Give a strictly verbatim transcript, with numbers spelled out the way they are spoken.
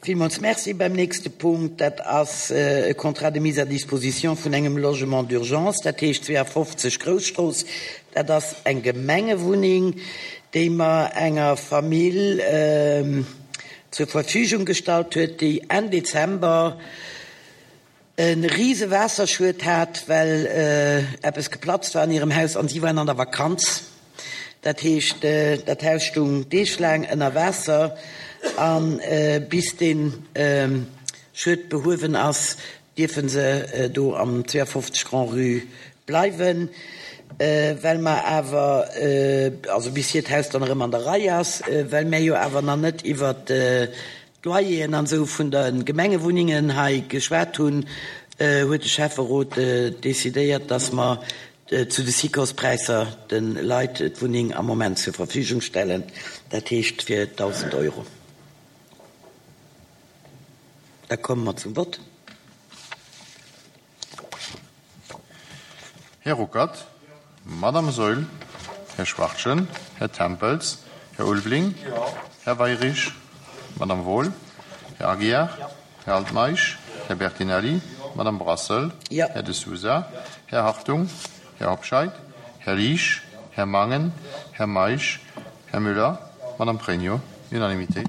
Villmools Merci. Beim nächste Punkt, dat ass e Contrat de mise à disposition vun engem Logement d'urgence, dat heescht zweeafofzeg Grousstrooss. Dat ass eng Gemengewunneng, déi mer enger Famill zur Verfügung gestallt huet, déi Enn Dezember e rise Waasserschued hat, well eppes geplatzt war an hirem Haus an si waren an der Vakanz. Dat heescht, dat Haus stung deeglaang ënner Waasser a bis dee Schued behuewen ass, dierfe se do am zweeafofzeg Grand-Rue bleiwen. Well mer awer, also bis hiert Haus dann erëm an der Rei ass, well mär jo awer nach net iwwert d'Loyeren an esou vun de Gemengewunnengen hei geschwat hunn, huet de Schäfferot decidéiert, dass mer zu de SICOS-Präisser de Leit d'Wunneng am Moment zur Verfügung stellen, dat heescht fir dausend Euro. Da komme mer zum Vott. Här Ruckert, Madame Saeul, Här Schwachtgen, Här Tempels, Här Ulveling, Här Weyrich, Madame Wohl, Här Aguiar, Här Altmeisch, Här Bertinelli, Madame Brassel, Här De Sousa, Här Hartung, Här Hobscheit, Här Liesch, Här Mangen, Här Meisch, Här Müller, Madame Pregno. Unanimité.